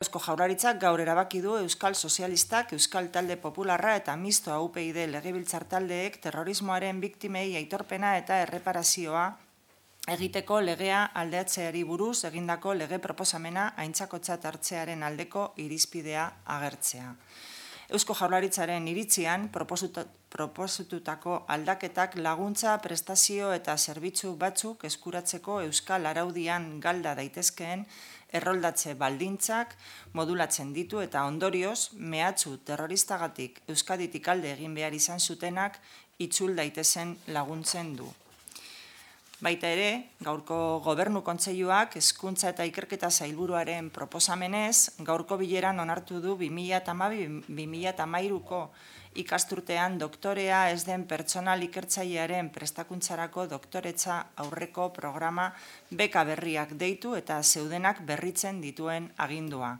Eusko Jaurlaritzak gaur erabaki du Euskal Sozialistak, Euskal Talde Popularra eta Mistoa UPyD legebiltzar taldeek terrorismoaren biktimei aitorpena eta erreparazioa egiteko legea aldatzeari buruz egindako lege proposamena aintzakotzat hartzearen aldeko irizpidea agertzea. Eusko Jaurlaritzaren iritzian proposatutako aldaketak laguntza, prestazio eta zerbitzu batzuk eskuratzeko euskal araudian galda daitezkeen erroldatze baldintzak modulatzen ditu eta ondorioz mehatxu terroristagatik Euskaditik alde egin behar izan zutenak itzul daitezen laguntzen du. Baita ere, gaurko Gobernu Kontseiluak Hezkuntza eta Ikerketa Sailburuaren proposamenez, gaurko bileran onartu du 2012-2013ko ikasturtean doktorea ez den pertsonal ikertzailearen prestakuntzarako doktoretza aurreko programa beka berriak deitu eta zeudenak berritzen dituen agindua.